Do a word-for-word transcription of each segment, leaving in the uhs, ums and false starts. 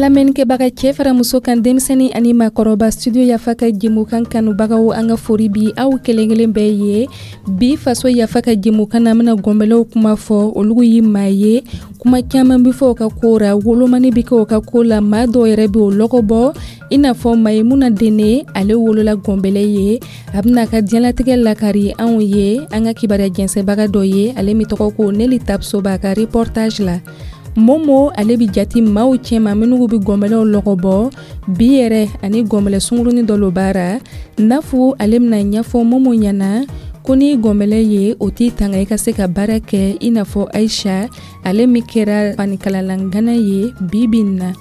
Lamɛnnikɛbaga, cɛ fara muso kan, denmisɛnnin ani maakɔrɔba, Studio Yafa ka jɛmukan kanubagaw, an ka fori bi aw kelen kelen bɛɛ ye. Bi Faso Yafa ka jɛmukan na, an bɛna gɔnbɛlɛw kuma fɔ. Olu ye maa ye, kuma caman bɛ fɔ o ka ko ra, wolomani bɛ kɛ o ka ko la, maa dɔw yɛrɛ bɛ o lɔgɔ bɔ, i n'a fɔ Mayimuna Dene. Ale wolola gɔnbɛlɛ ye. A bɛna a ka diɲɛlatigɛ lakari anw ye. An ka kibaruya jɛnsɛnbaga dɔ ye, ale min tɔgɔ ko Neli Tapso, b'a ka reportage la. Momo, ale bɛ jati maaw cɛma minnu bɛ gɔnbɛlɛw lɔgɔ bɔ. Bi yɛrɛ, ani gɔnbɛlɛ sunkurunin dɔ lo baara. Nafu, ale bɛna ɲɛfɔ Momo ɲɛna ko ni gɔnbɛlɛ ye, o t'i tanga i ka se ka baara kɛ, i n'a fɔ Ayisa, ale min kɛra fanikalalangana ye bi bi in na.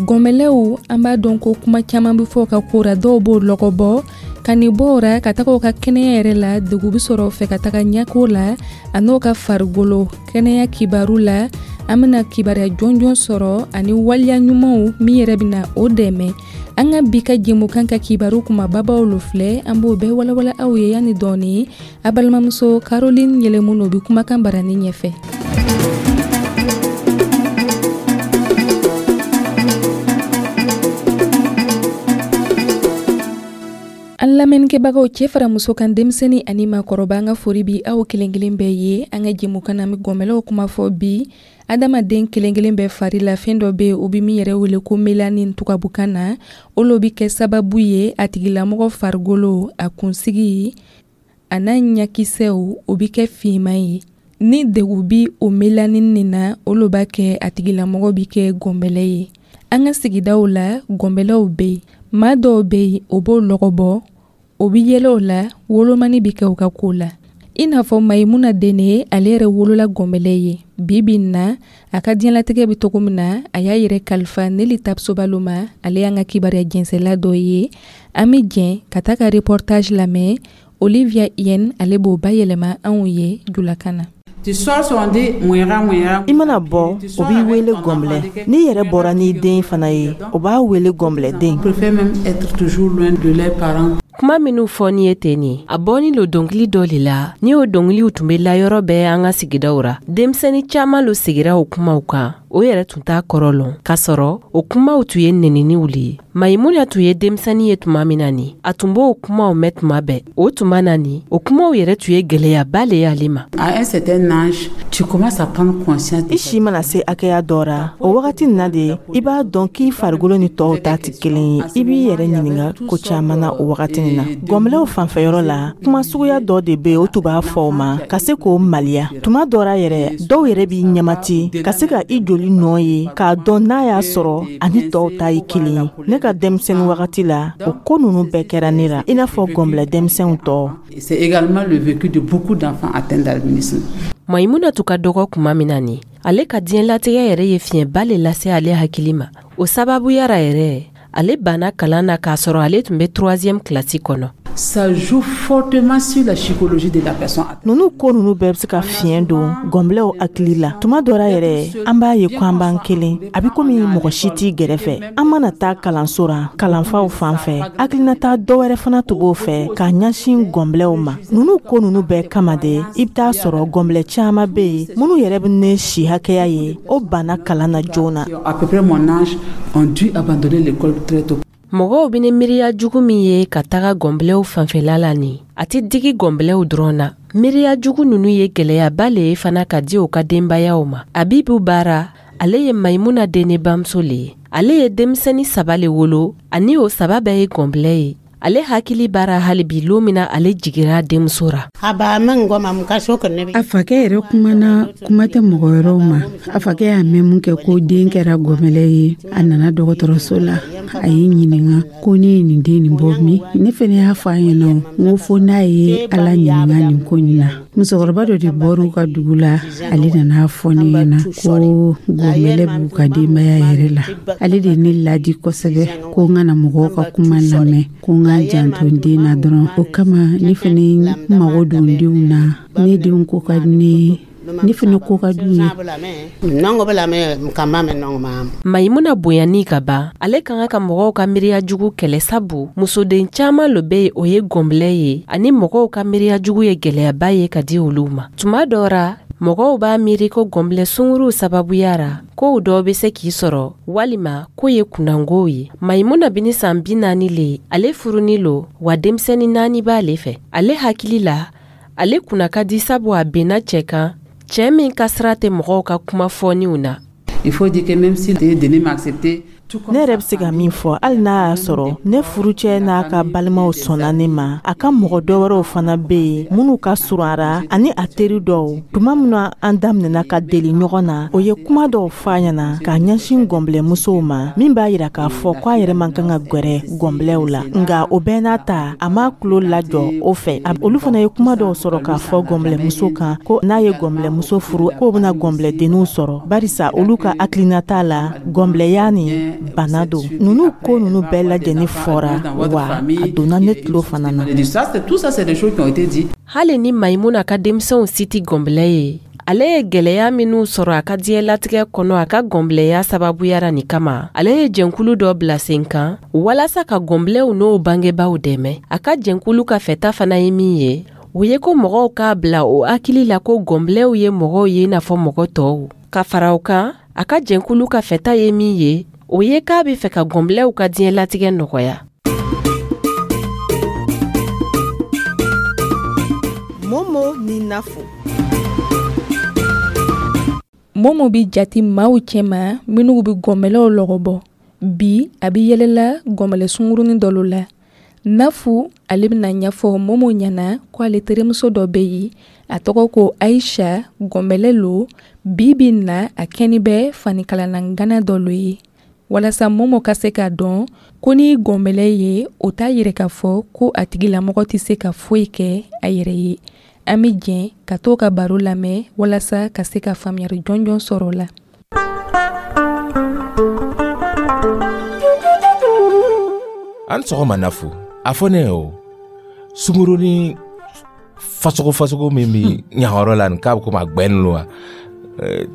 Gɔnbɛlɛw, an b'a dɔn ko kuma caman bɛ fɔ ka ko ra, dɔw b'o lɔgɔ bɔ ka nin bɔ o ra ka taga o ka kɛnɛya yɛrɛ la. Degun bɛ sɔrɔ o fɛ ka taga ɲɛko la a n'o ka farikolo kɛnɛya kibaru la. An bɛna kibaruya jɔnjɔn sɔrɔ ani waleya ɲumanw min yɛrɛ bɛna o dɛmɛ. An ka bi ka jɛmukan ka kibaru kumababaw lo filɛ, an b'o bɛɛ walawala aw ye yanni dɔɔni. A balimamuso Caroline Yɛlɛmu o bɛ kumakan barani ɲɛfɛ. An lamɛnnikɛbagaw, cɛ fara muso kan, denmisɛnnin ani maakɔrɔba, an ka fori bi aw kelen kelen bɛɛ ye. An ka jɛmukan na, an bɛ gɔnbɛlɛw kuma fɔ bi. Adamaden kelen kelen bɛɛ fari la, fɛn dɔ bɛ yen, o bɛ min yɛrɛ wele ko mélanine tubabukan na. O lo bɛ kɛ sababu ye, a tigilamɔgɔ farikolo, a kunsigi a n'a ɲakisɛw, o bɛ kɛ finman ye. Ni degun bi o mélanine nin na, o lo b'a kɛ a tigilamɔgɔ bɛ kɛ gɔnbɛlɛ ye. An ka sigidaw la, gɔnbɛlɛw bɛ yen. Maa dɔw bɛ yen, o b'o lɔgɔ bɔ, o bɛ yɛlɛ o la, wolomani bɛ kɛ u ka ko la, i n'a fɔ Mayimuna Dene. Ale yɛrɛ wolola gɔnbɛlɛ ye. Bi bi in na, a ka diɲɛlatigɛ bɛ cogo min na, a y'a yɛrɛ kalifa Neli Tapsobalo ma. Ale y'an ka kibaruya jɛnsɛla dɔ ye. An bɛ jɛn ka taa ka reportage lamɛn. Olivia Yen, ale b'o bayɛlɛma anw ye julakan na. I mana bɔ, o b'i wele gɔnbɛlɛ. N'i yɛrɛ bɔra n'i den fana ye, o b'a wele gɔnbɛlɛden. Kuma minnu fɔ ni ye ten nin, a bɔni lo dɔnkili dɔ le la. Ni o dɔnkiliw tun bɛ la yɔrɔ bɛɛ an ka sigidaw ra, denmisɛnnin caaman lo sigira o kumaw kan, o yɛrɛ tun t'a kɔrɔ lɔn, k'a sɔrɔ o kumaw tun ye neniniw le ye. Mayimuna tun ye denmisɛnnin ye tuma min na nin, a tun b'o kumaw mɛn tuma bɛɛ. O tuma na nin, o kumaw yɛrɛ tun ye gwɛlɛyaba le ye ale ma. I si mana se hakɛya dɔ ra, o wagati nin na de i b'a dɔn k'i farikolo ni tɔw ta tɛ kelen ye. I b'i yɛrɛ ɲininka ko caman na o wagati nin na. Gɔnbɛlɛw fanfɛyɔrɔ la, kuma suguya dɔ de bɛ yen, o tun b'a fɔ o ma ka se k'o maliya. Tuma dɔ ra yɛrɛ, dɔw yɛrɛ b'i ɲɛmati ka se ka i joli nɔ ye k'a dɔn n'a y'a sɔrɔ ani tɔw ta ye kelen ye. Ne ka denmisɛnnin wagati la, o ko ninnu bɛɛ kɛra ne la, i n'a fɔ gɔnbɛlɛ denmisɛnw tɔ. C'est également le vécu de beaucoup d'enfants atteints d'albinisme. Mayimuna tun ka dɔgɔ kuma min na nin, ale ka diɲɛlatigɛ yɛrɛ ye fiɲɛba le lase ale hakili ma. O sababuya ra yɛrɛ, ale banna kalan na k'a sɔrɔ ale tun bɛ troisième classe kɔnɔ. Ça joue fortement sur la psychologie de la personne. Ninnu ko ninnu bɛɛ bɛ se ka fiɲɛ don gɔnbɛlɛw hakili la. Tuma dɔ la yɛrɛ, an b'a ye ko an b'an kelen, a bɛ komi mɔgɔ si t'i gɛrɛfɛ. An mana taa kalanso ra, kalanfaw fan fɛ, hakilinata dɔ wɛrɛ fana tun b'o fɛ k'a ɲɛsin gɔnbɛlɛw ma. Ninnu ko ninnu bɛɛ kama de, i bɛ taa sɔrɔ gɔnbɛlɛ caman bɛ yen minnu yɛrɛ bɛ ne si hakɛya ye, o banna kalan na joona. À peu près mon âge, ont dû abandonner l'école très tôt. Mɔgɔw bɛ ni miiriya jugu min ye ka taga gɔnbɛlɛw fanfɛla la nin, a tɛ digi gɔnbɛlɛw dɔrɔn na. Miiriya jugu ninnu ye gwɛlɛyaba le ye fana ka di u ka denbayaw ma. Abibu Baara, ale ye Mayimuna Dene bamuso le ye. Ale ye denmisɛnnin saba le wolo, ani o saba bɛɛ ye gɔnbɛlɛ ye. Ale hakili b'ara hali bi lon min na ale jigira denmuso ra. A fakɛ yɛrɛ kumana, kuma tɛ mɔgɔ wɛrɛw ma. A fakɛ y'a mɛn mun kɛ ko den kɛra gɔnbɛlɛ ye, a nana dɔgɔtɔrɔso la, a ye ɲininga ko ne ye nin den nin bɔ min. Ne fɛnɛ y'a fɔ a ɲɛna, n ko fo n'a ye Ala ɲininga nin ko nin na. Musokɔrɔba dɔ de bɔr'u ka dugu la, ale nana fɔ ne ɲɛna ko gɔnbɛlɛ b'u ka denbaya yɛrɛ la. Ale de ye ne ladi kosɛbɛ ko n kana mɔgɔw ka kuma lamɛn, ko n ka janto n den na dɔrɔn. O kama ne fɛnɛ mago don n denw na. Ne denw ko ka di ne ye, ne fɛnɛ ko ka d'u ye. Mayimuna bonyani ka ban, ale ka kan ka mɔgɔw ka miiriya jugu kɛlɛ, sabu musoden caaman lo be yen, o ye gɔnbɛlɛ ye, ani mɔgɔw ka miiriya jugu ye gwɛlɛyaba ye ka di olu ma tuma dɔ ra. Mɔgɔw b'a miiri ko gɔnbilɛ sunguruw sababuya ra kow dɔw be se k'i sɔrɔ walima k'o ye kunnangow ye. Mayimuna bini san bi naani le, ale furuni lo wa denmisɛni naani b'ale fɛ. Ale hakili la, ale kunna ka di sabu a benna cɛ kan, cɛɛ min ka sira tɛ mɔgɔw ka kuma fɔniw na. Il faut dire que même si Denis m'a accepté, Ne yɛrɛ bɛ se ka min fɔ, hali n'a y'a sɔrɔ ne furucɛ n'a ka balimaw sɔnna ne ma, a ka mɔgɔ dɔ wɛrɛw fana bɛ yen minnu ka surun a ra ani a teri dɔw. Tuma min na an daminɛna ka deli ɲɔgɔn na, o ye kuma dɔw fɔ a ɲɛna k'a ɲɛsin gɔnbilɛmusow ma, min b'a yira k'a fɔ k'a yɛrɛ man kan ka gwɛrɛ gɔnbilɛw la. Nka o bɛɛ n'a ta, a m'a tulo lajɔ o fɛ. Olu fana ye kuma dɔw sɔrɔ k'a fɔ gɔnbilɛmuso kan ko n'a ye gɔnbilɛmuso furu, k'o bɛna gɔnbilɛdenninw sɔrɔ, barisa olu ka hakilinata la, gɔnbilɛya nin bana don. Ninnu ko ninnu bɛɛ lajɛlen fɔra wa a donna ne tulo fana na. Hali ni Mayimuna ka denmisɛnw si tɛ gɔnbilɛ ye, ale ye gwɛlɛya minw sɔrɔ a ka diɲɛlatigɛ kɔnɔ a ka gɔnbilɛya sababuyara nin kama, ale ye jɛnkulu dɔ bila sen kan walasa ka gɔnbilɛw n'o bangebaaw dɛmɛ. A ka jɛnkulu ka fɛta fana ye min ye, o ye ko mɔgɔw k'a bila o hakili la ko gɔnbilɛw ye mɔgɔw ye i n'a fɔ mɔgɔ tɔw. Ka fara o kan, a ka jɛnkulu ka fɛta ye min ye, o ye k'a bɛ fɛ ka gɔnbilɛw ka diɲɛlatigɛ nɔgɔya. Momo ni Nafo. Momo bi jati maaw cɛma minnu bɛ gɔnbɛlɛw lɔgɔbɔ. Bi a bɛ yɛlɛla gɔnbɛlɛ sungurunin dɔ la. Nafu ale bɛna ɲɛfɔ Momo ɲɛna ko ale terimuso dɔ bɛ yen, a tɔgɔ ko Ayisa, gɔnbɛlɛ lo. Bi bi na a kɛni bɛ fanikalana dɔ lo ye. Walasa Momo ka se k'a dɔn ko ni gɔnbɛlɛ ye, o t'a yɛrɛ k'a fɔ ko a tigilamɔgɔ tɛ se ka foyi kɛ a yɛrɛ ye. An bɛ jɛn ka to ka baro lamɛn walasa ka se ka faamuyali jɔnjɔn sɔrɔ o la. An sɔgɔma Nafu. A fɔ ne ye o sungurunin fasogo fasogo min bɛ ɲayɔrɔ la nin, k'a bɛ komi a gbɛn lo wa,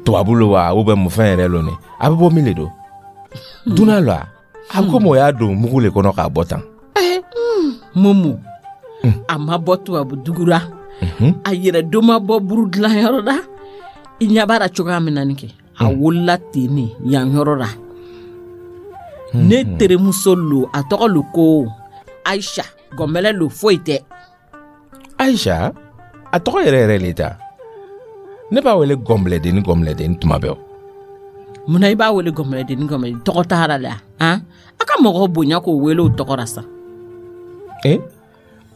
tubabu lo wa, ou bien mun fɛn yɛrɛ lo nin, a bɛ bɔ min de don? Dunan lo a a bɛ komi o y'a don mugu le kɔnɔ k'a bɔ tan. Momo, a ma bɔ tubabu dugu la, a yɛrɛ don ma bɔ buru dilanyɔrɔ la. I ɲɛ b'a la cogoya min na nin kɛ, a wolola ten ne yan yɔrɔ la. Ne terimuso lo, a tɔgɔ lo ko Ayisa, gɔnbɛlɛ lo, foyi tɛ. Ayisa, a tɔgɔ yɛrɛ yɛrɛ le ta? Ne b'a wele gɔnbilɛdenni gɔnbilɛdenni tuma bɛɛ. Munna i b'a wele gɔnbɛlɛdenni gɔnbɛlɛdenni? Tɔgɔ t'a la la han? A ka mɔgɔw bonya k'o wele o tɔgɔ la sa. Eh,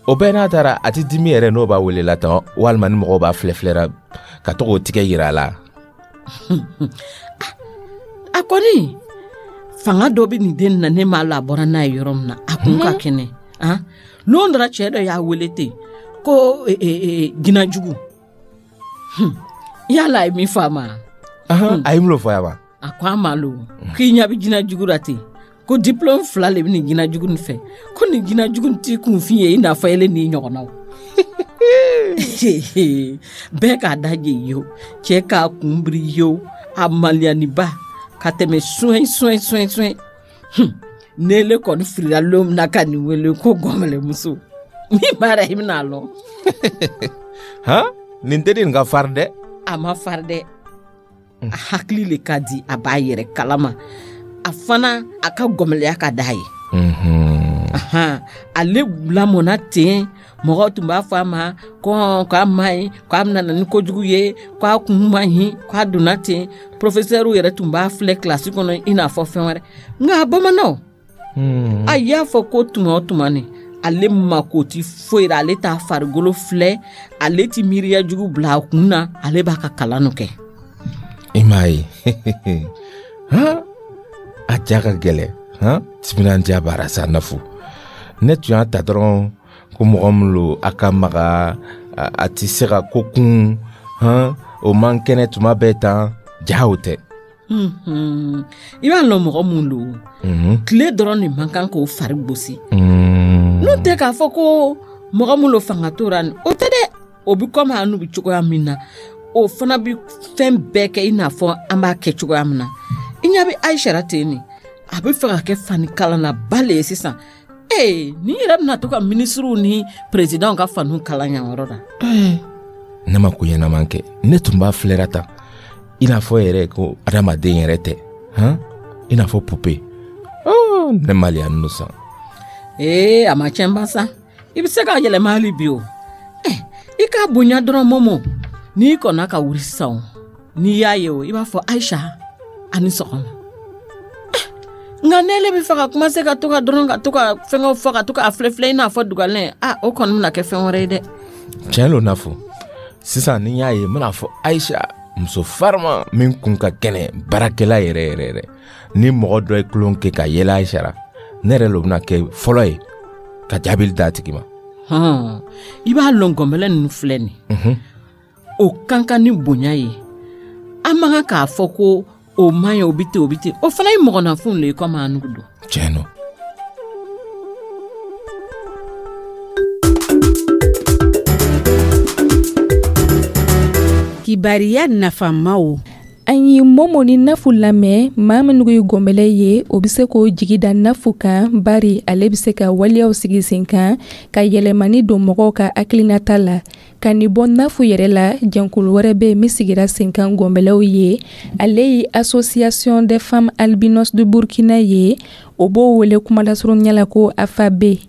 o bɛɛ n'a taara, a tɛ dimi yɛrɛ n'o b'a wele la tan, walima ni mɔgɔw b'a filɛ filɛra ka to k'o tigɛ yira a la. A kɔni fanga dɔ bɛ nin den na, ne m'a la a bɔra n'a ye yɔrɔ min na, a kun ka kɛnɛ han. Lon dɔ la cɛ dɔ y'a wele ten ko jinɛjugu. Yala a ye min fɔ a ma? A ye mun fɔ a ma? A ko a ma lo k'i ɲɛ bɛ jinɛjugu la ten, ko diplôme fila le bɛ nin jinɛjugu nin fɛ, ko nin jinɛjugu nin t'i kunfin ye i n'a fɔ ele n'i ɲɔgɔnnaw. Bɛɛ k'a da je ye o, cɛ k'a kun biri ye o, a maliyaniba ka tɛmɛ soin soin soin soin. Ne le kɔni filila lon min na ka nin wele ko gɔnbɛlɛmuso, min b'a la i bɛna a lɔn. Han, nin teri nin ka farin dɛ. A ma farin dɛ, a hakili le ka di, a b'a yɛrɛ kalama, a fana a ka gɔnbɛlɛya ka d'a ye. Ale lamɔna ten, mɔgɔw tun b'a fɔ a ma ko k'a ma ɲi, k'a bɛna na ni kojugu ye, k'a kun ma ɲi, k'a donna ten. Professeur yɛrɛ tun b'a filɛ kilasi kɔnɔ i n'a fɔ fɛn wɛrɛ. Nka bamananw a y'a fɔ ko tuma o tuma ni ale mako ti foyi la, ale t'a farikolo filɛ, ale ti miiriya jugu bila a kun na, ale b'a ka kalan kɛ. I m'a ye han, a ja ka gɛlɛn han, timinandiya b'a sa Nafu. Ne tun y'a ta dɔrɔn ko mɔgɔ min lo a ka maga, a tɛ se ka ko kun han, o man kɛnɛ tuma bɛɛ tan, ja o tɛ. I b'a lɔn mɔgɔ mun lo, tile dɔrɔn de man kan k'o fari gosi. N'o tɛ k'a fɔ ko mɔgɔ mun lo fanga t'o la, o tɛ dɛ. O bɛ komi an n'u bɛ cogoya min na, o fana bɛ fɛn bɛɛ kɛ i n'a fɔ an b'a kɛ cogoya min na. I ɲɛ bɛ Ayisa la ten nin, a bɛ fɛ ka kɛ fanikalannaba le ye sisan. Ee, nin yɛrɛ bɛna to ka minisiriw ni perezidanw ka faniw kalan yan yɔrɔ la. Ne ma ko ɲɛnama kɛ. Ne tun b'a filɛra tan i n'a fɔ yɛrɛ ko adamaden yɛrɛ tɛ, han, i n'a fɔ poupée. Oh, ne maliya ninnu san. Ee, a ma tiɲɛ ba sa, i bɛ se k'a yɛlɛma hali bi. O eh, i k'a bonya dɔrɔn. Momo, n'i kɔnna ka wuli sisan, o n'i y'a ye, o i b'a fɔ: "Ayisa, a ni sɔgɔma." Eh, nka n'ele bɛ fɛ ka commencer ka to ka dɔrɔn ka to ka fɛngɛw fɔ, ka to k'a filɛ filɛ i n'a fɔ dugalɛn, a o kɔni bɛna kɛ fɛn wɛrɛ ye dɛ. Tiɲɛ lo Nafu. Sisan ni n y'a ye, n bɛna fɔ: "Ayisa, muso farima min kun ka kɛnɛ, baarakɛla yɛrɛ yɛrɛ yɛrɛ." Ni mɔgɔ dɔ ye tulon kɛ ka yɛlɛ Ayisa la, ne yɛrɛ lo bɛna kɛ fɔlɔ ye ka jaabili d'a tigi ma. Hɔn, i b'a lɔn, gɔnbɛlɛ ninnu filɛ nin, o kan ka ni bonya ye. An man kan k'a fɔ ko o man ɲi, o bi ten, o bi ten. O fana ye mɔgɔninfinw le ye komi an nugu don. Tiɲɛ no. Kibariya nafamaw. An ye Momo ni Nafu lamɛn. Maa minnu ye gɔnbɛlɛ ye, o bɛ se k'o jigi da Nafu kan, bari ale bɛ se ka waleyaw sigi sen kan ka yɛlɛmani don mɔgɔw ka hakilinata la. Ka nin bɔ Nafu yɛrɛ la, jɛnkulu wɛrɛ bɛ yen min sigira sen kan gɔnbɛlɛw ye. Ale ye Association des femmes albinos de Burkina ye. O b'o wele kumalasurunya la ko A F A B.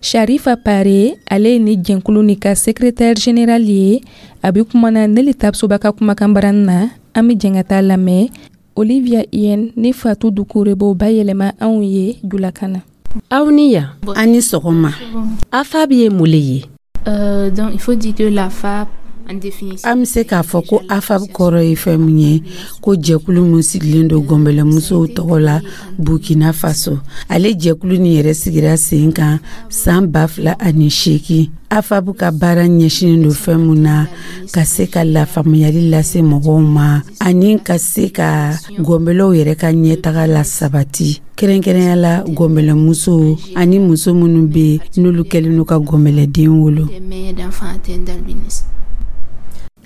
Sharifa Pare, ale ye ni jɛnkulu ni ka secrétaire général ye. A bɛ kumana Neli Tapsoba ka kumakan barani na. An bɛ jɛn ka taa lamɛn. Olivia Yen ni Fatu Dukure b'o bayɛlɛma anw ye julakan na. Aw ni yan. An ni sɔgɔma. A F A B ye mun le ye? Euh, donc, il faut dire que la F A B, en définition, An bɛ se k'a fɔ ko A F A B kɔrɔ ye fɛn min ye, ko jɛkulu min sigilen don gɔnbɛlɛmusow tɔgɔ la Burkina Faso. Ale jɛkulu nin yɛrɛ sigira sen kan san ba fila ani seegin. A F A B ka baara ɲɛsinnen don fɛn mun na, ka se ka lafaamuyali lase mɔgɔw ma ani ka se ka gɔnbɛlɛw yɛrɛ ka ɲɛtaga la sabati, kɛrɛnkɛrɛnya la gɔnbɛlɛmusow ani muso minnu bɛ n'olu kɛlen don ka gɔnbɛlɛden wolo. Des mères d'enfants atteints d'albinisme.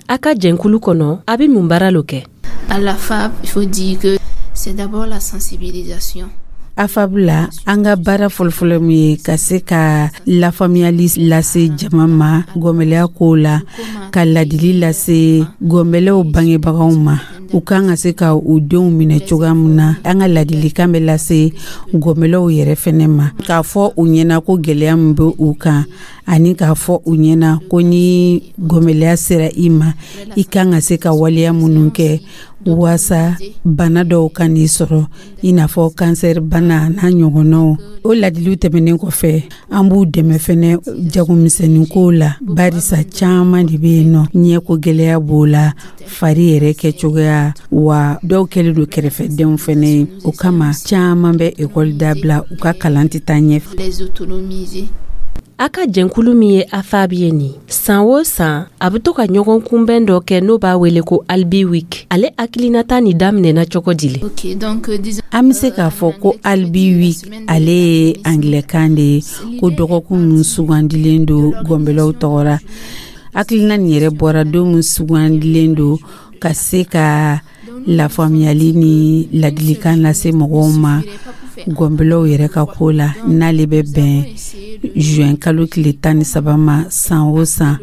A ka jɛnkulu kɔnɔ, a bɛ mun baara lo kɛ? À la F A B, il faut dire que c'est d'abord la sensibilisation. A F A B la, an ka baara fɔlɔfɔlɔ min ye, ka se ka lafaamuyali lase jama ma gɔnbɛlɛya kow la, ka ladili lase gɔnbɛlɛw bangebagaw ma, u kan ka se ka u denw minɛ cogoya min na. An ka ladilikan bɛ lase gɔnbɛlɛw yɛrɛ fɛnɛ ma, k'a fɔ u ɲɛna ko gwɛlɛya min bɛ u kan, ani k'a fɔ u ɲɛna ko ni gɔnbɛlɛya sera i ma, i kan ka se ka waleya minnu kɛ waasa bana dɔw ka n'i sɔrɔ, i n'a fɔ kansɛri bana n'a ɲɔgɔnnaw. O ladiliw tɛmɛnen kɔfɛ, an b'u dɛmɛ fɛnɛ jagomisɛnnin kow la, barisa caaman de be yen nɔ, ɲɛko gwɛlɛya b'o la, fari yɛrɛ kɛ cogoya wa, dɔw kɛlen don kɛrɛfɛdenw fɛnɛ ye. O kama caaman bɛ ekɔli dabila, u ka kalan tɛ taa ɲɛ. Les autonomiser. A ka jɛnkulu min ye A F A B ye nin, san o san a bɛ to ka ɲɔgɔn kunbɛn dɔ kɛ n'o b'a wele ko Albi Week. Ale hakilinata nin daminɛna cogo di le? Ok, donc euh, disons. An bɛ se k'a fɔ ko Albi Week, ale ye angilɛkan de ye, ko dɔgɔkun min sugandilen don gɔnbɛlɛw tɔgɔ la. Hakilina nin yɛrɛ bɔra don min sugandilen don ka se ka lafaamuyali ni ladilikan lase mɔgɔw ma gɔnbɛlɛw yɛrɛ ka ko la, n'ale bɛ bɛn juin kalo tile tan ni saba ma san o san.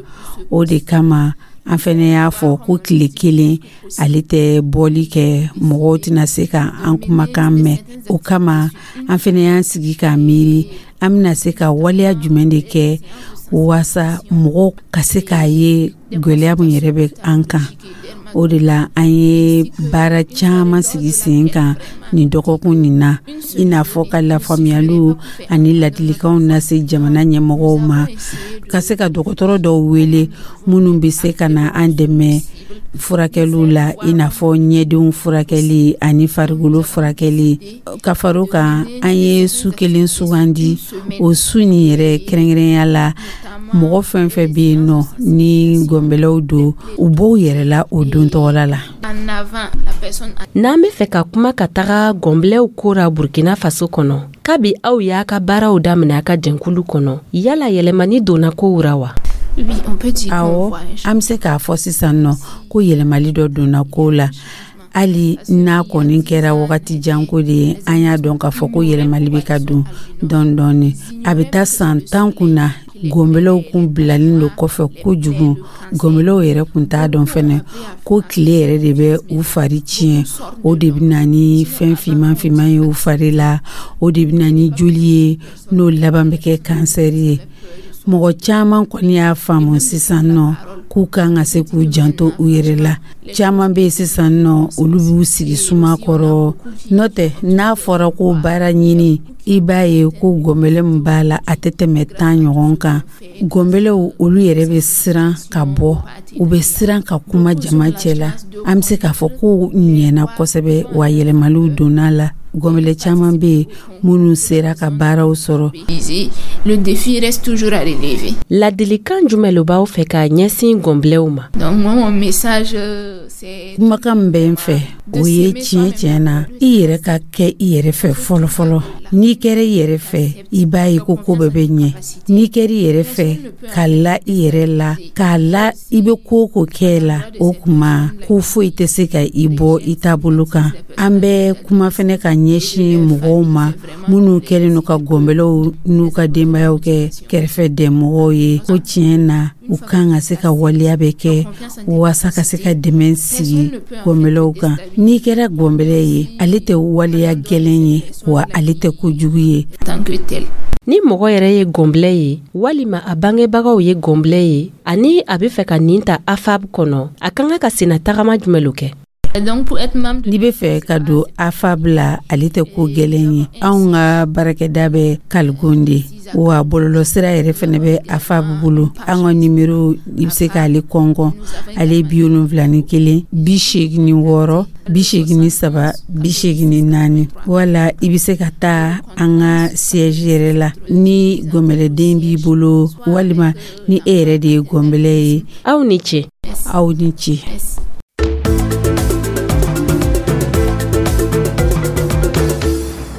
O de kama an fɛnɛ y'a fɔ ko tile kelen ale tɛ bɔli kɛ, mɔgɔw tɛna se ka an kumakan mɛn. O kama an fɛnɛ y'an sigi k'a miiri, an bɛna se ka waleya jumɛn de kɛ waasa mɔgɔw ka se k'a ye gwɛlɛya min yɛrɛ bɛ an kan. O de la an ye baara caman sigi sen kan nin dɔgɔkun nin na, i n'a fɔ ka lafaamuyaliw ani ladilikanw lase jamana ɲɛmɔgɔw ma, ka se ka dɔgɔtɔrɔ dɔw wele minnu bɛ se ka na an dɛmɛ furakɛliw la, i n'a fɔ ɲɛdenw furakɛli ani farikolo furakɛli. Ka fara o kan, an ye su kelen sugandi. O su nin yɛrɛ, kɛrɛnkɛrɛnya la, mɔgɔ fɛn fɛn bɛ yen nɔ ni gɔnbɛlɛw don, u b'o yɛrɛ la o don tɔgɔla la. En avant, la personne N'an be fɛ ka kuma ka taga gɔnbilɛw ko ra Burkina Faso kɔnɔ, kabi aw y'a ka baaraw daminɛ a ka jɛnkulu kɔnɔ, yala yɛlɛmani donna kow ra wa? Oui, on peut dire qu'on Awɔ, voit un an bɛ se k'a fɔ sisan nɔ ko yɛlɛmali dɔ donna kow la. Hali n'a kɔni kɛra wagati janko de ye, an y'a dɔn k'a fɔ ko yɛlɛmali bɛ ka don dɔɔni dɔɔni. A bɛ taa san tan kun na. Gɔnbɛlɛw kun bilalen don kɔfɛ kojugu. Gɔnbɛlɛw yɛrɛ kun t'a dɔn fɛnɛ ko tile yɛrɛ de bɛ u fari tiɲɛ, o de bɛ na ni fɛn finman finman ye u fari la, o de bɛ na ni joli ye, n'o laban bɛ kɛ kansɛri ye. Mɔgɔ caman kɔni y'a faamu sisan nɔ k'u kan ka se k'u janto u yɛrɛ la. Caman bɛ yen sisan nɔ, olu b'u sigi suma kɔrɔ. N'o tɛ, n'a fɔra ko baara ɲini, i b'a ye ko gɔnbɛlɛ min b'a la, a tɛ tɛmɛ tan ɲɔgɔn kan. Gɔnbɛlɛw olu yɛrɛ bɛ siran ka bɔ, u bɛ siran ka kuma jama cɛ la. An bɛ se k'a fɔ ko ɲɛna kosɛbɛ, wa yɛlɛmaliw donna la. Gɔnbɛlɛ caman bɛ yen minnu sera ka baaraw sɔrɔ. Le défi reste toujours à relever. Ladilikan jumɛn lo b'aw fɛ k'a ɲɛsin gɔnbɛlɛw ma? Donc moi, mon message, euh, c'est Kumakan min bɛ n fɛ, o ye tiɲɛ tiɲɛ na, i yɛrɛ ka kɛ i yɛrɛ fɛ fɔlɔ fɔlɔ. N'i kɛra i yɛrɛ fɛ, i b'a ye ko ko bɛɛ bɛ ɲɛ. N'i kɛra i yɛrɛ fɛ, ka la i yɛrɛ la, k'a la i bɛ ko o ko kɛ la, o kuma ko foyi tɛ se ka i bɔ i taabolo kan. An bɛ kuma fɛnɛ ka ɲɛsin mɔgɔw ma minnu kɛlen don ka gɔnbɛlɛw n'u ka denbayaw kɛ kɛrɛfɛ dɛmɔgɔw ye, ko tiɲɛ na, u kan ka se ka waleya bɛ kɛ waasa ka se ka dɛmɛ sigi gɔnbɛlɛw kan. N'i kɛra gɔnbɛlɛ ye, ale tɛ waleya gɛlɛn ye, wa ale tɛ kojugu ye. Tant que tel. Ni mɔgɔ yɛrɛ ye gɔnbɛlɛ ye, walima a bangebagaw ye gɔnbɛlɛ ye, ani a bɛ fɛ ka nin ta A F A B kɔnɔ, a ka kan ka senna tagama jumɛn lo kɛ? Donc pour être membre N'i bɛ fɛ ka don A F A B la, ale tɛ ko gɛlɛn ye. Anw ka baarakɛda bɛ Kaligonde, wa bɔlɔlɔsira yɛrɛ fɛnɛ bɛ A F A B bolo. An ka nimero, i bɛ se k'ale kɔnkɔn, ale bi wolonfila ni kelen, bi seegin ni wɔɔrɔ, bi seegin ni saba, bi seegin ni naani. Wala i bɛ se ka taa an ka siège yɛrɛ la ni gɔnbɛlɛden b'i bolo, walima ni e yɛrɛ de ye gɔnbɛlɛ ye. Aw ni ce. Aw ni ce.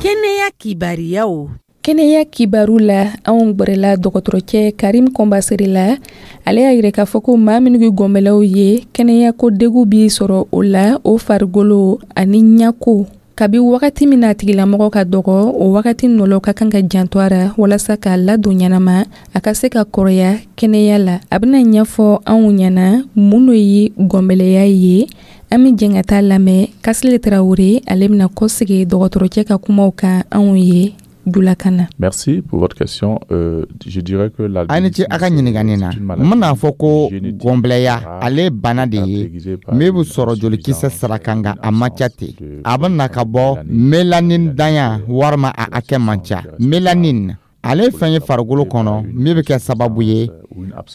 Kɛnɛya kibariyaw. Kɛnɛya kibaru la, anw gwɛrɛla dɔgɔtɔrɔcɛ Karim Kɔnbasere la. Ale y'a yira k'a fɔ ko maa minnu ye gɔnbɛlɛw ye, kɛnɛya ko degu b'i sɔrɔ o la, o farigolo ani ɲako. Kabi wagati min na a tigilamɔgɔ ka dɔgɔ, o wagati nɔlɔ ka kan ka janto a ra walasa k'a ladon ɲɛnama, a ka se ka kɔrɔya kɛnɛya la. A bɛna ɲɛfɔ anw ɲɛna mun de ye gɔnbɛlɛya ye. An bɛ jɛn ka taa lamɛn. Kasile Tarawele, ale bɛna kɔsegi dɔgɔtɔrɔcɛ ka kumaw kan anw ye julakan na. Merci pour votre question. Euh, je dirais que la A ni ce a ka ɲininkani na. N bɛna fɔ ko gɔnbɛlɛya, ale bana de ye min bɛ sɔrɔ jolikisɛ sira kan, nka a man ca ten. A bɛ na ka bɔ mélanine danya walima a hakɛ man ca. Mélanine, ale ye fɛn ye farikolo kɔnɔ min bɛ kɛ sababu ye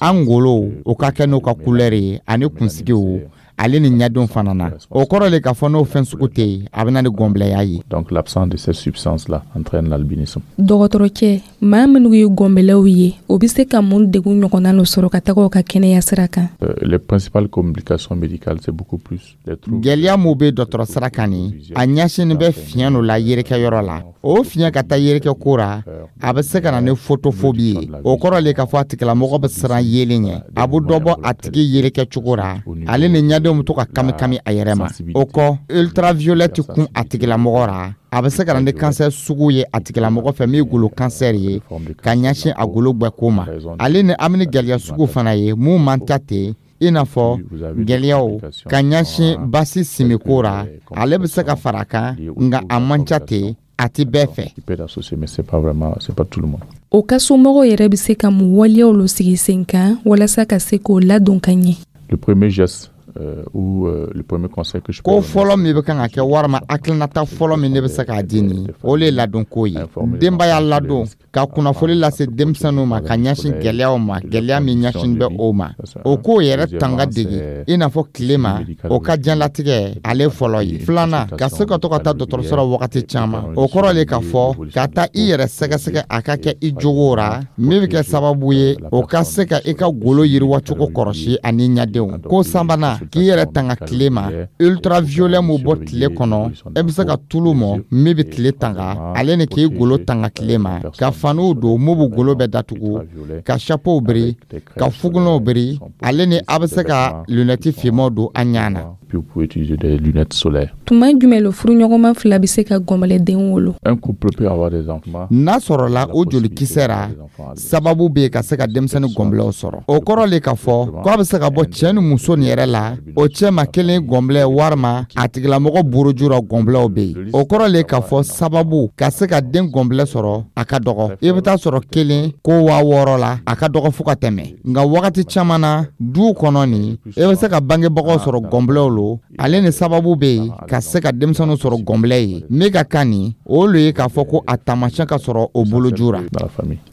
an golow o ka kɛ n'o ka couleur ye, ani kunsigiw, ale ni ɲɛdenw fana na. O kɔrɔ le k'a fɔ n'o fɛn sugu tɛ yen, a bɛ na ni gɔnbɛlɛya ye. Donc l'absence de cette substance-là entraîne l'albinisme. Dɔgɔtɔrɔcɛ, maa minnu ye gɔnbɛlɛw ye, o bɛ se ka mun degun ɲɔgɔnna lo sɔrɔ ka taga o ka kɛnɛya sira kan? Euh, les principales complications médicales, c'est beaucoup plus les troubles. Gɛlɛya mun bɛ dɔgɔtɔrɔ sira kan nin, a ɲɛsinnen bɛ fiɲɛ dɔ la yerekɛyɔrɔ la. O fiɲɛ ka taa yerekɛ ko ra, a bɛ se ka na ni photophobie ye. O kɔrɔ le k'a fɔ a tigilamɔgɔ bɛ siran yelen ɲɛ. A bɛ dɔ bɔ a tigi yerekɛ cogo ra, ale ni ɲɛdenw bɛ to ka kami kami a yɛrɛ ma. O kɔ, ultraviolette kun a tigilamɔgɔ ra, a bɛ se ka na ni kansɛri sugu ye a tigilamɔgɔ fɛ min ye golo kansɛri ye ka ɲɛsin a golo gbɛko ma. Ale ni an bɛ ni gɛlɛya sugu fana ye mun man ca ten, i n'a fɔ gɛlɛyaw ka ɲɛsin basi simiko ra. Ale bɛ se ka fara a kan, nka a man ca ten, a ti bɛɛ fɛ. Qui peut être associé, mais c'est pas vraiment, c'est pas tout le monde. O ka somɔgɔw yɛrɛ bɛ se ka mun waleyaw lo sigi sen kan walasa ka se k'o ladon ka ɲɛ? Le premier geste euh, ou euh, le premier conseil que je peux Ko fɔlɔ min bɛ kan ka kɛ, walima hakilinata fɔlɔ min ne bɛ se k'a di nin, o le ye ladonko ye. Denbaya ladon, ka kunnafoni lase denmisɛnninw ma ka ɲɛsin gɛlɛyaw ma, gɛlɛya min ɲɛsin bɛ o ma, o k'o yɛrɛ tanga dege, i n'a fɔ tile ma, o ka diɲɛlatigɛ ale fɔlɔ ye. Filanan, ka se ka to ka taa dɔgɔtɔrɔso la wagati caman. O kɔrɔ le k'a fɔ ka taa i yɛrɛ sɛgɛsɛgɛ, a ka kɛ i jogo ra, min bɛ kɛ sababu ye o ka se ka i ka golo yiriwacogo kɔrɔsi ani ɲɛdenw. Ko sabanan, k'i yɛrɛ tanga tile ma, ultraviolet mun bɔ tile kɔnɔ. E bɛ se ka tulu mɔ min bɛ tile tanga, ale ni k'i golo tanga tile ma, ka faniw don mun bɛ golo bɛɛ datugu, ka chapeau biri, ka fugunɛw biri, ale ni a bɛ se ka lunette finmanw don an ɲɛ na. puis vous pouvez utiliser des lunettes solaires. Tuma jumɛn lo furuɲɔgɔnma fila bɛ se ka gɔnbɛlɛden wolo? Un couple peut avoir des enfants. N'a sɔrɔla o jolikisɛ ra, sababu bɛ yen ka se ka denmisɛnnin gɔnbɛlɛw sɔrɔ. O kɔrɔ le k'a fɔ k'a bɛ se ka bɔ cɛ ni muso nin yɛrɛ la, o cɛ ma kelen gɔnbɛlɛ walima a tigilamɔgɔ buruju ra gɔnbɛlɛw bɛ yen. O kɔrɔ le k'a fɔ sababu ka se ka den gɔnbɛlɛ sɔrɔ a ka dɔgɔ. I bɛ taa sɔrɔ kelen ko waa wɔɔrɔ la, a ka dɔgɔ fo ka tɛmɛ. Nka wagati caman na duw kɔnɔ nin, i bɛ se ka bangebagaw sɔrɔ gɔnbɛlɛw lo, ale ni sababu bɛ yen ka se ka denmisɛnninw sɔrɔ gɔnbɛlɛ ye. Min ka kan nin, o lo ye k'a fɔ ko a taamasiyɛn ka sɔrɔ o boloju ra.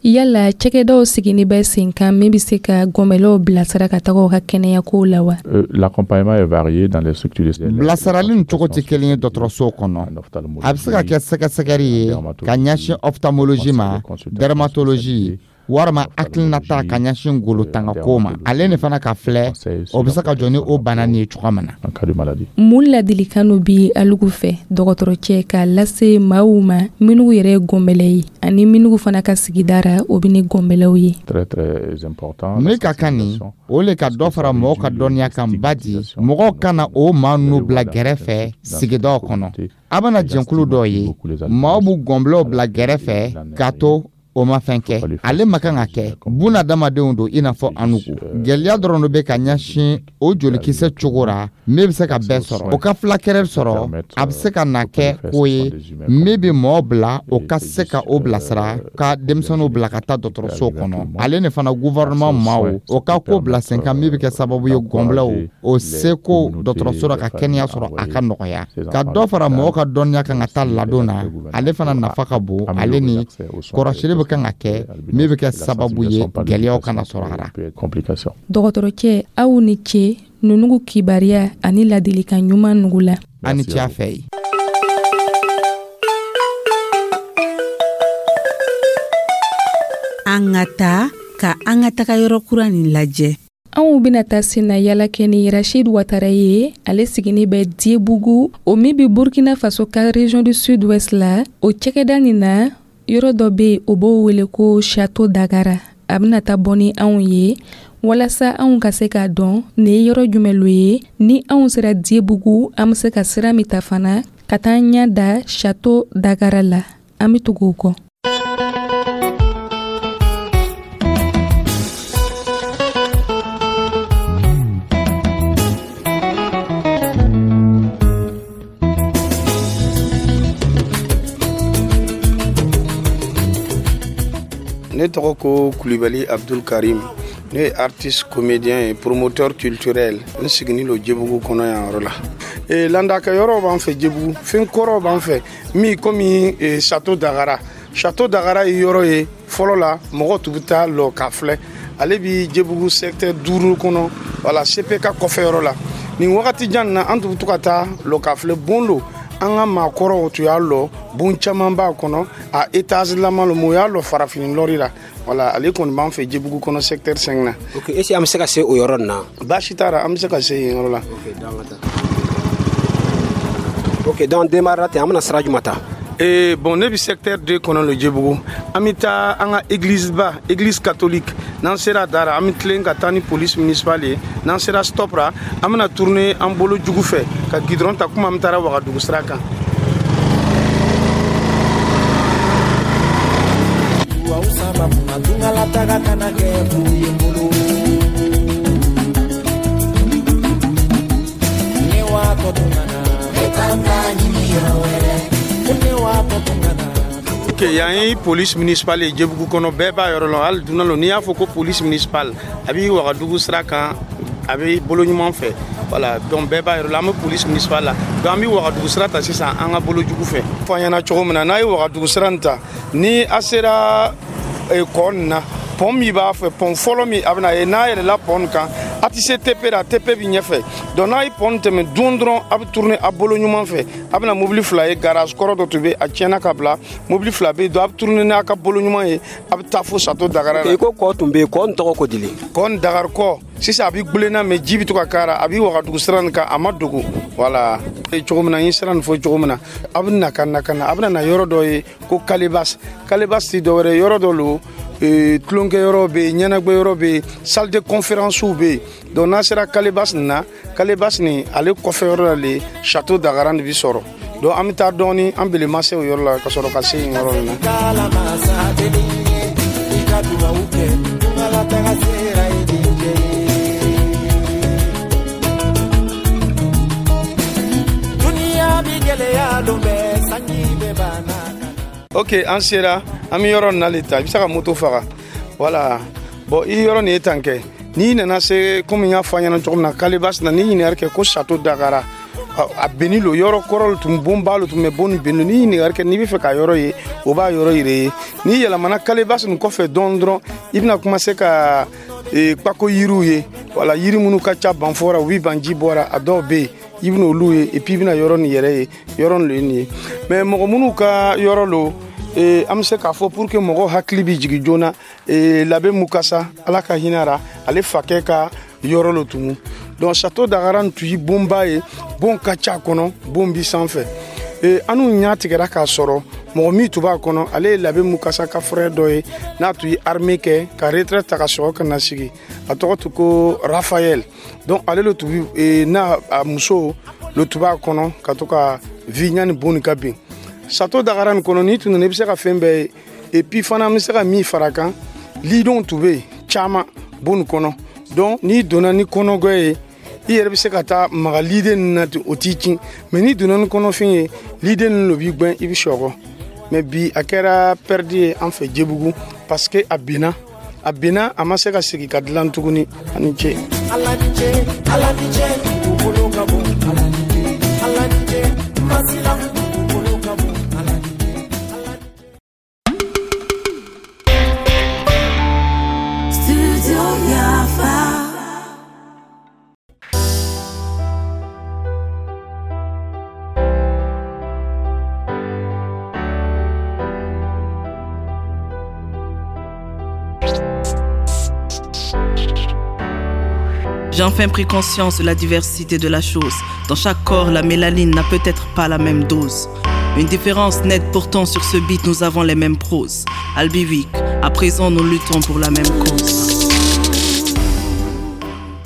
Yala cakɛdaw sigini bɛ sen kan min bɛ se ka gɔnbɛlɛw bilasira ka taga u ka kɛnɛyako la wa? L'accompagnement est varié dans les structures. Bilasirali nin cogo tɛ kelen ye dɔgɔtɔrɔso kɔnɔ. A bɛ se ka kɛ sɛgɛsɛgɛli ye ka ɲɛsin ophtalmologie ma, dermatologie walima hakilinata ka ɲɛsin golo tangako ma. Ale ni fana ka filɛ, o bɛ se ka jɔ ni o bana nin ye cogoya min na. Mun ladilikan dɔ bi alugu fɛ dɔgɔtɔrɔcɛ k'a lase maaw ma minnu yɛrɛ ye gɔnbɛlɛ ye ani minnu fana ka sigida ra o bɛ ni gɔnbɛlɛw ye? Très très important. Ne ka kan nin, o le ka dɔ fara mɔgɔw ka dɔnniya kan ba di mɔgɔw kana o maa ninnu bila gɛrɛfɛ sigidaw kɔnɔ. A bɛna jɛnkulu dɔw ye, maaw b'u gɔnbɛlɛw bila gɛrɛfɛ k'a to o ma fɛn kɛ. Ale ma kan ka kɛ bunadamadenw don i n'a fɔ anugu. Gɛlɛya dɔrɔn dɔ bɛ ka ɲɛsin o jolikisɛ cogo ra min bɛ se ka bɛɛ sɔrɔ. O ka fulakɛrɛ sɔrɔ, a bɛ se ka na kɛ ko ye min bɛ mɔgɔ bila o ka se ka o bilasira ka denmisɛnninw bila ka taa dɔgɔtɔrɔso kɔnɔ. Ale ni fana gouvernement maaw o ka ko bila sen kan min bɛ kɛ sababu ye gɔnbɛlɛw o seko dɔgɔtɔrɔso la ka kɛnɛya sɔrɔ a ka nɔgɔya. Ka dɔ fara mɔgɔw ka dɔnniya kan ka taa ladon na, ale fana nafa ka bon. Ale ni kɔrɔsili bɛ kan ka kɛ min bɛ kɛ sababu ye gɛlɛyaw kana sɔrɔ a la. Dɔgɔtɔrɔcɛ, aw ni ce nunugu kibaruya ani ladilikan ɲuman nugu la. A ni ce a fɛ ye. An ka taa ka an ka taga yɔrɔ kura nin lajɛ. Anw bɛna taa sen na yala kɛ ni Rachid Ouattara ye. Ale sigini bɛ Diébougou, o min bɛ Burkina Faso ka région du Sud-Ouest la. O cakɛda nin na, yɔrɔ dɔ bɛ yen o b'o wele ko Château Dagara. A bɛna taa bɔ ni anw ye walasa anw ka se k'a dɔn nin ye yɔrɔ jumɛn lo ye. Ni anw sera Diébougou, an bɛ se ka sira min ta fana ka taa ɲɛ da Château Dagara la. An bɛ tugu o kɔ. Ne tɔgɔ ko Kulibali Abdul Karim. Ne ye artiste comédien et promoteur culturel. N sigini lo Diébougou kɔnɔ yan yɔrɔ la. E landakɛ yɔrɔ b'an fɛ Diébougou, fɛn kɔrɔw b'an fɛ min komi e, Château Dagara. Château Dagara ye yɔrɔ ye fɔlɔ la mɔgɔw tun bɛ taa lɔ k'a filɛ. Ale bi Diébougou secteur duuru kɔnɔ, wala C P K kɔfɛ yɔrɔ la. Nin wagati jan na an tun bɛ to ka taa lɔ k'a filɛ bon lo. An ka maakɔrɔw tun y'a lɔ bon caman b'a kɔnɔ, a étage lama lo, mais o y'a lɔ farafin lɔri la. Wala ale kɔni b'an fɛ Diébougou kɔnɔ secteur cinq na. Ok, est-ce que an bɛ se ka se o yɔrɔ nin na? Baasi t'a la, an bɛ se ka se yen yɔrɔ la. Ok, donc an ka taa. Ok, donc démarrer ten, an bɛna sira jumɛn ta? Eh, bon, ne bɛ secteur deux kɔnɔ le Diébougou. An bɛ taa an ka église ba, église catholique. N'an sera da la, an bɛ tilen ka taa ni police municipale ye. N'an sera stop la, an bɛna tourner an bolo jugu fɛ ka goudron ta komi an bɛ taara Wagadugu sira kan. Ok, yan ye police municipale ye Diébougou kɔnɔ, bɛɛ b'a yɔrɔ lɔn. Hali dunan lo, n'i y'a fɔ ko police municipale, a b'i Wagadugu sira kan, a bɛ bolo ɲuman fɛ. Voilà, donc bɛɛ b'a yɔrɔ la, an bɛ police municipale la. Donc an bɛ Wagadugu sira ta sisan an ka bolo jugu fɛ. Fɔ an ɲɛna cogo min na, n'a ye Wagadugu sira nin ta, ni a sera kɔ nin na, pont min b'a fɛ, pont fɔlɔ min a bɛna ye, n'a yɛlɛla pont nin kan, a tɛ se T P la, T P bɛ ɲɛfɛ. Donc n'a ye pont tɛmɛ don dɔrɔn, a bɛ tourner a bolo ɲuman fɛ, a bɛna mobili fila ye, garage kɔrɔ dɔ tun bɛ a tiɲɛna ka bila, mobili fila bɛ yen, donc a bɛ tourner n'a ka bolo ɲuman ye, a bɛ taa fo Château Dagara la. I ko kɔ tun bɛ yen, kɔ nin tɔgɔ ko di? Kɔ nin Dagari kɔ. Sisan a bɛ gulenna, mais ji bɛ to ka k'a la. A bɛ Wagadugu sira nin kan, a ma dogo. Wala cogo min na, n ye sira nin fɔ cogo min na, a bɛ na ka na ka na, a bɛna na yɔrɔ dɔ ye ko Kalebas. Kalebas ti dɔwɛrɛ, yɔrɔ dɔ lo, tulonkɛ yɔrɔ bɛ yen, ɲɛnagwɛ yɔrɔ bɛ yen, salle de conférence bɛ yen. Donc n'a sera Kalebas nin na, Kalebas nin ale kɔfɛ yɔrɔ la le Château Dagaran de bi sɔrɔ. Donc an bɛ taa dɔɔni, an belema se o yɔrɔ la ka sɔrɔ ka se yen yɔrɔ in na. Ok, an sera, an bɛ yɔrɔ nin na le ta. I bɛ se ka moto faga. Wala, bon, i yɔrɔ nin ye tan kɛ. N'i nana se, komi n y'a fɔ a ɲɛna cogo min na, Kalebas na, n'i ɲininkali kɛ ko Château Dagara, a benni lo, yɔrɔ kɔrɔ lo tun, bonba lo tun bɛ, bon nin benni. N'i ɲininkali kɛ, n'i bɛ fɛ ka yɔrɔ ye, o b'a yɔrɔ yira i ye. N'i yɛlɛmana Kalebas nin kɔfɛ dɔɔni dɔrɔn, i bɛna commencer ka kpako yiriw ye. Wala, yiri minnu ka ca banfɔ ra, u bɛ ban ji bɔra, a dɔw bɛ yen, i bɛna olu ye. Et puis i bɛna yɔrɔ nin yɛrɛ ye, yɔrɔ nin lo ye nin ye. Mais mɔgɔ minnu ka yɔrɔ lo, an bɛ se k'a fɔ pour que mɔgɔw hakili bɛ jigin joona, Labe Mukasa, Ala ka hinɛ ra, ale fakɛ ka yɔrɔ lo tugun. Donc Château Dagara tun ye bonba ye, bon ka ca kɔnɔ, bon bi sanfɛ. An n'u ɲa tigɛra k'a sɔrɔ mɔgɔ min tun b'a kɔnɔ, ale ye Labe Mukasa ka frère dɔ ye, n'a tun ye armée kɛ ka retraite ta ka sɔrɔ ka na sigi. A tɔgɔ tun ko Raphaël. Donc ale le tun bi n'a a muso le tun b'a kɔnɔ ka to ka vi ɲani bon nin ka bin. Château Dagara nin kɔnɔ, n'i tun nana, i bɛ se ka fɛn bɛɛ ye. Et puis fana, an bɛ se ka min fara kan, lidenw tun bɛ yen caman bon nin kɔnɔ. Donc n'i donna ni kɔnɔgɔ ye, i yɛrɛ bɛ se ka taa maga liden ninnu na ten, o t'i kin. Mais n'i donna ni kɔnɔfin ye, liden ninnu de b'i gɛn, i bɛ sɔgɔ. Mais bi, a kɛra perte ye an fɛ Jebugu, parce que a binna, a binna, a ma se ka segin ka dilan tuguni. A ni ce. Ala ni ce, Ala ni ce, dugukolo ka bon. Ala ni ce, Ala ni ce, masila dugukolo ka bon. Ala ni ce, Ala ni ce. Studio Yafa. J'ai enfin pris conscience de la diversité de la chose. Dans chaque corps, la mélanine n'a peut-être pas la même dose. Une différence nette pourtant sur ce beat, nous avons les mêmes proses. Albi Week, à présent nous luttons pour la même cause.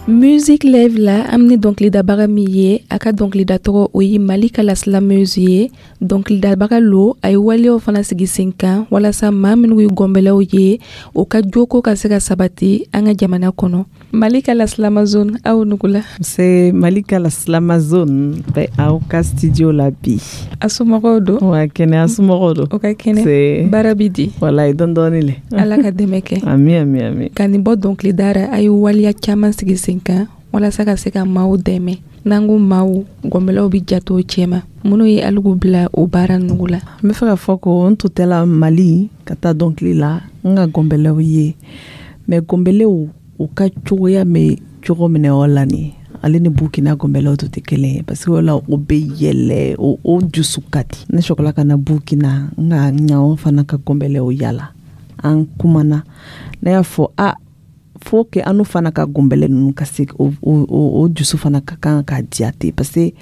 Musique Live la, an ni dɔnkilidabaga min ye, a ka dɔnkilida tɔgɔ o ye Malika la slameuse ye. Dɔnkilidabaga lo, a ye waleyaw fana sigi sen kan walasa maa minnu ye gɔnbɛlɛw ye, o ka joko ka se ka sabati an ka jamana kɔnɔ. Malika la slamazone, aw nugula. C'est Malika la slamazone bɛ aw ka studio la bi. A somɔgɔw don? Wa kɛnɛ, a somɔgɔw don? O ka kɛnɛ, baara bi di? Walayi, dɔɔni dɔɔni le. Ala ka dɛmɛ kɛ. Ami ami ami. Ka nin bɔ dɔnkilida ra, a ye waleya caman sigi sen kan walasa ka se ka maaw dɛmɛ. N'an ko maaw, gɔnbɛlɛw bɛ jate o cɛma. Minnu ye aligu bila o baara nugu la? N bɛ fɛ ka fɔ ko n tun tɛla Mali ka taa dɔnkili la, n ka gɔnbɛlɛw ye. Mais gɔnbɛlɛw u ka cogoya bɛ cogo min na o la nin, ale ni Burkina gɔnbɛlɛw tun tɛ kelen ye, parce que o la o bɛ yɛlɛ, o o dusu ka di. Ne sɔrɔla ka na Burkina, n ka ɲaw fana ka gɔnbɛlɛw yala, an kumana, ne y'a fɔ a faut que an fana ka gɔnbɛlɛ ninnu ka se o o o dusu fana ka kan ka diya ten, parce que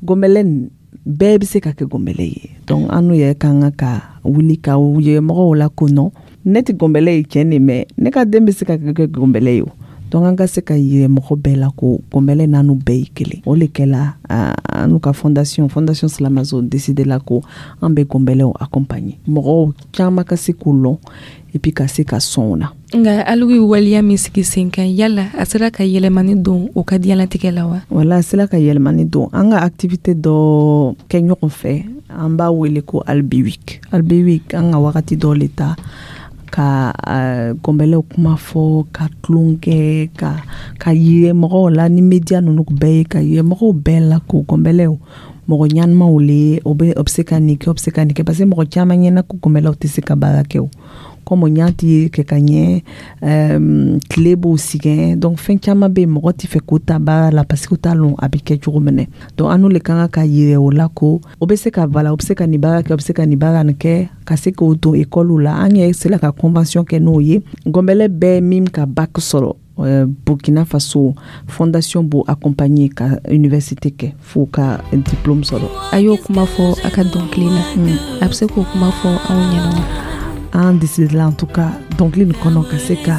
gɔnbɛlɛ nin bɛɛ bɛ se ka kɛ gɔnbɛlɛ ye. Donc an n'u yɛrɛ kan ka wuli ka ye mɔgɔw la ko non, ne tɛ gɔnbɛlɛ ye tiɲɛ de, mais ne ka den bɛ se ka kɛ gɔnbɛlɛ ye o. Donc an ka se ka yɛrɛ mɔgɔ bɛɛ la ko gɔnbɛlɛ n'anu bɛɛ ye kelen. O de kɛla an n'u ka fondation fondation Slamazone décidé la ko an bɛ gɔnbɛlɛw accompagner, mɔgɔw caman ka se k'o lɔn et puis ka se ka sɔn o na. Nka aligu ye waleya min sigi sen kan, yala a sera ka yɛlɛmani don o ka diɲɛlatigɛ la wa? Wala, a sera ka yɛlɛmani don. An ka activité dɔ kɛ ɲɔgɔn fɛ, an b'a wele ko Albi Week. Albi Week, an ka wagati dɔ le ta ka uh, gɔnbɛlɛw kuma fɔ, ka tulon kɛ, ka ka yirɛ mɔgɔw la ni média ninnu bɛɛ ye, ka yirɛ mɔgɔw bɛɛ la ko gɔnbɛlɛw mɔgɔ ɲɛnamaw le, o bɛ o bɛ se ka nin kɛ, o bɛ se ka nin kɛ, parce que mɔgɔ caman ɲɛna ko gɔnbɛlɛw tɛ se ka baara kɛ o. Comme ɲa ti kɛ ka ɲɛ, euh, tile b'o sigɛn, donc fɛn caman bɛ yen, mɔgɔ tɛ fɛ k'o ta baara la parce que o t'a lɔn a bɛ kɛ cogo min. Donc an n'o le kan ka yɛrɛ o la ko o bɛ se ka, voilà, o bɛ se ka nin baara kɛ, o bɛ se ka nin baara nin kɛ, ka se k'o don ekɔliw la. An yɛrɛ sera ka convention kɛ n'o ye. Gɔnbɛlɛ bɛɛ min ka bac sɔrɔ euh, Burkina Faso, fondation b'o accompagner ka université kɛ fo ka diplôme sɔrɔ. A y'o kuma fɔ a ka dɔnkili la mm. A bɛ se k'o kuma fɔ anw ɲɛna wa? An décidé la, en tout cas dɔnkili nin kɔnɔ, ka se ka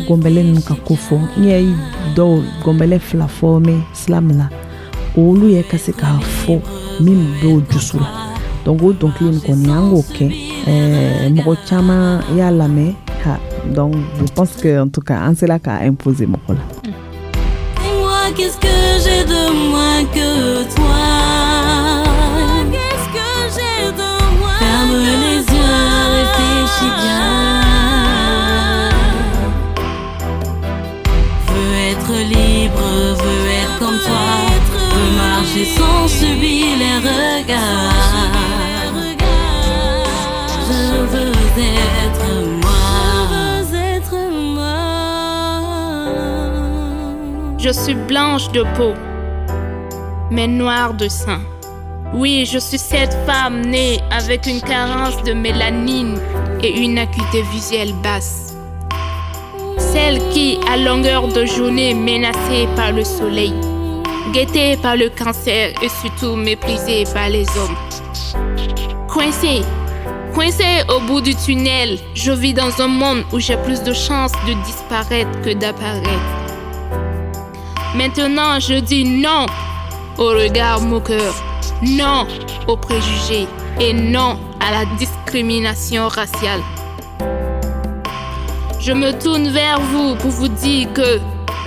gɔnbɛlɛ ninnu ka ko fɔ. N yɛ dɔw gɔnbɛlɛ fila former slam la, olu yɛ ka se k'a fɔ min b'o dusu la. Donc o dɔnkili nin kɔni, an k'o kɛ, ɛɛ mɔgɔ caman y'a lamɛn ha. Donc je pense que, en tout cas, an sera k'a imposer mɔgɔ la. Dis-moi, qu'est-ce que j'ai de moins que toi? Qu'est-ce que j'ai de moins? Ferme les yeux, réfléchis bien. Veux être libre, veux être comme toi, veux marcher sans subir les regards. Je veux être moi. Je veux être moi. Je suis blanche de peau, mais noire de sang. Oui, je suis cette femme née avec une carence de mélanine et une acuité visuelle basse. Celle qui, à longueur de journée, menacée par le soleil, guettée par le cancer et surtout méprisée par les hommes. Coincée, coincée au bout du tunnel, je vis dans un monde où j'ai plus de chances de disparaître que d'apparaître. Maintenant, je dis non au regard moqueur, non aux préjugés et non à la discrimination raciale. Je me tourne vers vous pour vous dire que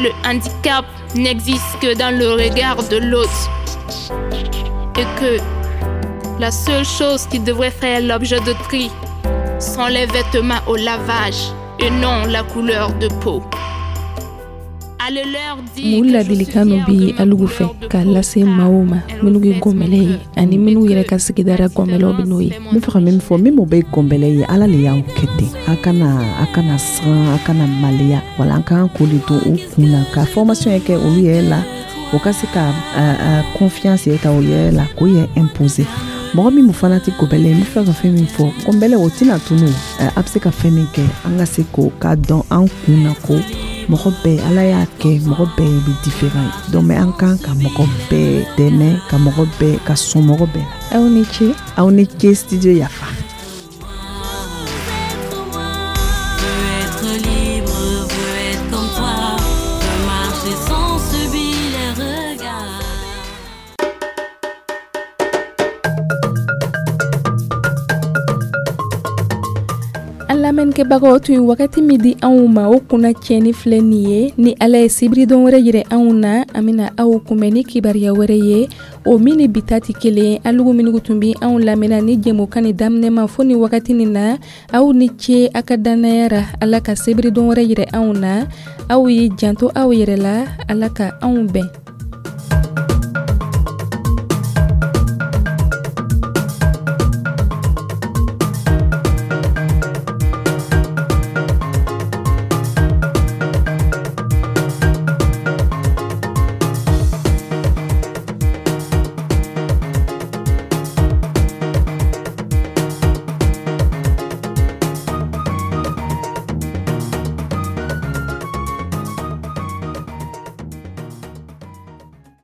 le handicap n'existe que dans le regard de l'autre et que la seule chose qui devrait faire l'objet de tri sont les vêtements au lavage et non la couleur de peau. Mun ladilikan bi alugu fɛ k'a lase maaw ma minnu ye gɔnbɛlɛ ye ani minnu yɛrɛ ka sigidara gɔnbɛlɛw bɛ n'o ye? N bɛ fɛ ka min fɔ, min bɛ gɔnbɛlɛ ye, Ala le y'aw kɛ ten. A kana a kana siran, a kana maloya. Wala an k'an k'o de don u kun na, ka formation yɛ kɛ olu yɛrɛ la, o ka se ka confiance yɛ ta o yɛrɛ la, k'o yɛrɛ imposer. Mɔgɔ min fana tɛ gɔnbɛlɛ ye, n bɛ fɛ ka fɛn min fɔ, gɔnbɛlɛ o tɛna tunu. A bɛ se ka fɛn min kɛ, an ka se k'o k'a dɔn an kun na ko mɔgɔ bɛɛ, Ala y'a kɛ mɔgɔ bɛɛ bɛ différent ye. Donc mais an kan ka mɔgɔ bɛɛ dɛmɛ, ka mɔgɔ bɛɛ ka sɔn mɔgɔ bɛɛ la. Aw ni ce. Aw ni ce, studio Yafa. Lamɛnnikɛbagaw tun ye wagati min di anw ma, o kunna tiɲɛni filɛ nin ye. Ni Ala ye sibiridon wɛrɛ yɛrɛ anw na, an bɛna aw kunbɛn ni kibaruya wɛrɛ ye, o min ni bi ta tɛ kelen. Alugu minnu tun bɛ anw lamɛnna ni jɛmukan ni daminɛ ma fo ni wagati nin na, aw ni ce a ka dannaya ra. Ala ka sibiridon wɛrɛ yɛrɛ anw na. Aw ye janto aw yɛrɛ la. Ala ka anw bɛn.